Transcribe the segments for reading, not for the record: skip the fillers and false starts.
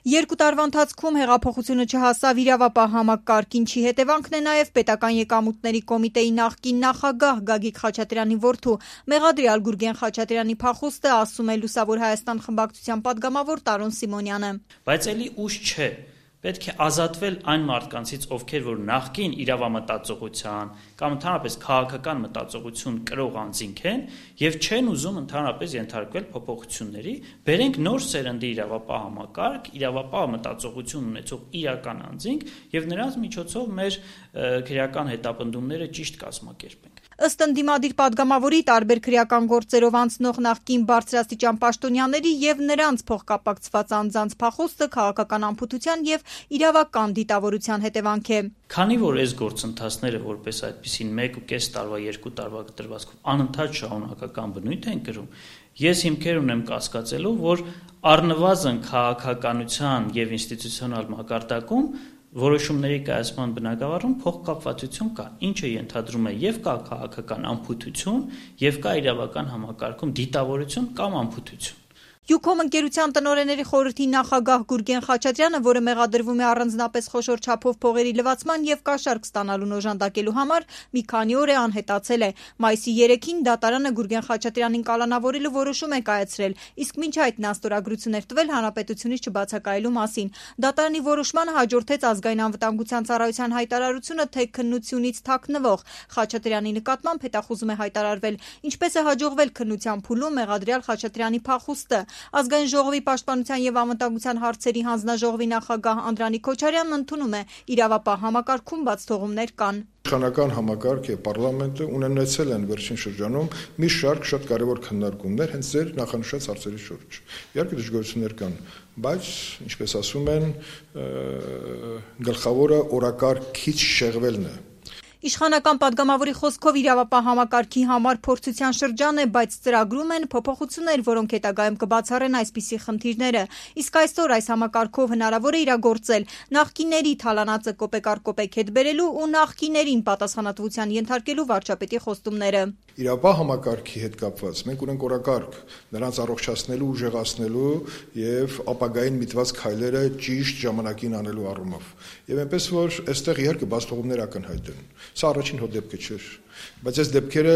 2 տարվա ընթացքում հեղափոխությունը չհասավ իրավապահ համակարգ, ինչի հետևանքն է նաև պետական եկամուտների կոմիտեի նախկին նախագահ Գագիկ Խաչատրյանի որդու մեղադրյալ Գուրգեն Խաչատրյանի փախուստը, ասում է Լուսավոր Հայաստան խմբակցության պատգամավոր Տարոն Սիմոնյանը։ Բայց էլի ուշ չէ։ Պետք է ազատվել այն մարդկանցից, ովքեր որ նախկին իրավամտածողության կամ ընդհանրապես քաղաքական մտածողություն կրող անձինք են եւ չեն ուզում ընդհանրապես ենթարկվել փոփոխությունների, բերենք նոր սերնդի իրավապահ համակարգ, իրավապահ մտածողություն ունեցող իրական անձինք եւ նրանց միջոցով մեր քրեական հետապնդումները ճիշտ կազմակերպենք։ Ըստ ընդդիմադիր պատգամավորի, տարբեր քրեական գործերով անցնող նախկին բարձրաստիճան պաշտոնյաների եւ նրանց փոխկապակցված անձանց փախուստը քաղաքական անփութության եւ իրավական դիտավորության հետևանք է։ Քանի որ այս գործընթացները որպես այդպիսին 1.5 տարվա, 2 տարվա կտրվածքով անընդհատ շարունակական բնույթ են կրում, ես հիմքեր ունեմ կասկածելու, որ առնվազն քաղաքականության եւ ինստիտուցիոնալ մակարդակում որոշումների կայացման բնագավառում փոխկապվածություն կա, ինչը ենթադրում է եւ կա քաղաքական անփութություն, եւ կա իրավական համակարգում դիտավորություն կամ անփութություն։ Յուքոմ ընկերության տնօրենների խորհրդի նախագահ Գուրգեն Խաչատրյանը, որը մեղադրվում է առանձնապես խոշոր չափով փողերի լվացման եւ կաշառք ստանալուն օժանդակելու համար, մի քանի օր է անհետացել է։ Մայիսի 3-ին դատարանը Գուրգեն Խաչատրյանին կալանավորելու որոշում է կայացրել, իսկ մինչ այդ նա ստորագրություն էր տվել հանրապետությունից չբացակայելու մասին։ Դատարանի որոշմանը հաջորդեց ազգային անվտանգության ծառայության հայտարարությունը, թե քննությունից թաքնվող Խաչատրյանի նկատմամբ հետախուզում է հայտարարվել, ինչպես է հաջողվել քննության փուլում մեղադրյալ Խաչատրյանի փախուստը։ Ազգային ժողովի պաշտպանության եւ անվտանգության հարցերի հանձնաժողովի նախագահ Անդրանիկ Քոչարյանն ընդունում է, իրավապահ համակարգում բաց թողումներ կան։ Իշխանական համակարգ եւ պարլամենտը ունեցել են վերջին շրջանում մի շարք շատ կարեւոր քննարկումներ հենց ձեր նախանշած հարցերի շուրջ։ Իհարկե դժգոհություններ կան, բայց ինչպես ասում են, գլխավորը օրակարգից շեղվելն է։ Իշխանական պատգամավորի խոսքով իրավապահ համակարգի համար փորձության շրջան է, բայց ծրագրում են փոփոխություններ, որոնք հետագայում կբացառեն այսպիսի խնդիրները։ Իսկ այսօր այս համակարգով հնարավոր է իրագործել նախկինների թալանածը կոպեկ առ կոպեկ հետ բերելու ու նախկիներին պատասխանատվության ենթարկելու վարչապետի խոստումները։ Իրավապահ համակարգի հետ կապված մենք ունենք օրակարգ նրանց առողջացնելու, ուժեղացնելու եւ ապագային միտված քայլերը ճիշտ ժամանակին անելու առումով։ Եվ այնպես որ այստեղ իհարկե բացթողումներ ակնհայտ են։ Սա առաջին հոտ դեպքը չէ, բայց այս դեպքերը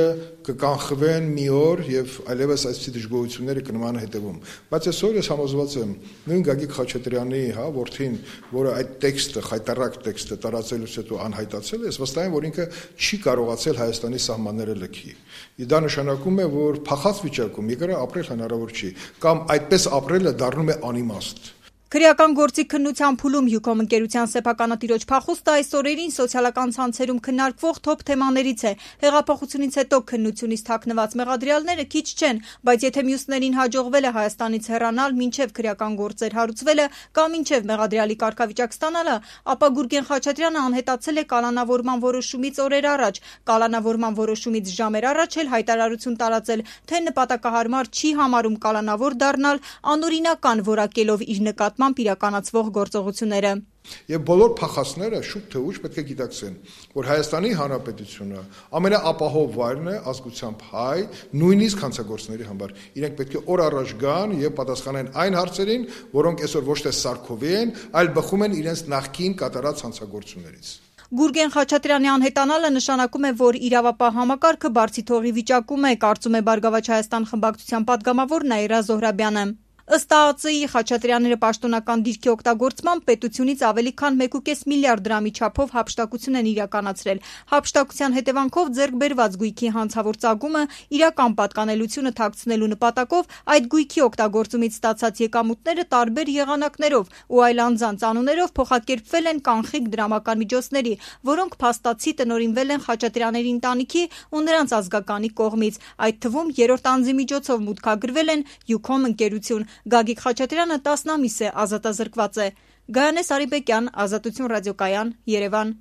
կկանխվեն մի օր եւ այլևս այսպիսի դժգոհությունները կնման հետևում։ Բայց այսօր ես համոզված եմ նույն Գագիկ Խաչատրյանի, որդին, որը այդ տեքստը, խայտարակ տեքստը տարածելուց հետո անհայտացել է, ես վստահ եմ, որ ինքը չի կարողացել Հայաստանի սահմանները լքի։ Դա նշանակում է, որ փախած վիճակում եկարը ապրել հնարավոր չի, կամ այդպես ապրելը դառնում է անիմաստ։ Քրեական գործի քննության փուլում Յուքոմ ընկերության սեփականատիրոջ փախուստը այս օրերին սոցիալական ցանցերում քննարկվող թոփ թեմաներից է։ Հեղափոխությունից հետո քննությունից թաքնված մեղադրյալները քիչ չեն, բայց եթե մյուսներին հաջողվել է Հայաստանից հեռանալ, մինչև քրեական գործեր հարուցվելը կամ մինչև մեղադրյալի կարգավիճակ ստանալը, ապա Գուրգեն Խաչատրյանը անհետացել է կալանավորման որոշումից օրեր առաջ, կալանավորման որոշումից ժամեր առաջ էլ հայտարարություն տարածել, թե նպատակահարմար չի համարում կալանավոր դառնալ, անօրինական որակելով իր նկատմամբ իրականացվող գործողությունները։ Եվ բոլոր փախածները շուտ թե ուշ պետք է գիտակցեն, որ Հայաստանի Հանրապետությունը ամենաապահով վայրն է ազգությամբ հայ, նույնիսկ հանցագործների համար։ Իրենք պետք է օր առաջ գան եւ պատասխանեն այն հարցերին, որոնք այսօր ոչ թե սարքովի են, այլ բխում են իրենց նախկին կատարած հանցագործություններից։ Գուրգեն Խաչատրյանի անհետանալը նշանակում է, որ իրավապահ համակարգը բարձի թողի վիճակում է, կարծում է Բարգավաճ Հայաստան խմբակցության պատգամավոր Նաիրա Զոհրաբյանը։ Ըստ ԱԱԾ-ի Խաչատրյանները պաշտոնական դիրքի օգտագործմամբ պետությունից ավելի քան 1.5 միլիարդ դրամի չափով հափշտակություն են իրականացրել։ Հափշտակության հետևանքով ձեռք բերված գույքի հանցավոր ծագումը իրական պատկանելությունը թաքցնելու նպատակով այդ գույքի օգտագործումից ստացած եկամուտները տարբեր եղանակներով ու այլ անձանց անուններով փոխակերպվել են կանխիկ դրամական միջոցների, որոնք փաստացի տնօրինվել են Խաչատրյանների ընտանիքի ու նրանց ազգականի կողմից։ Այդ թվում երրորդ անձի միջոցով մուտքագրվել են Յուքոմ ընկերություն։ Գագիկ Խաչատրյանը 10 ամիս է ազատազրկված է։ Գայանե Սարիբեկյան, Ազատություն ռադիոկայան, Երևան։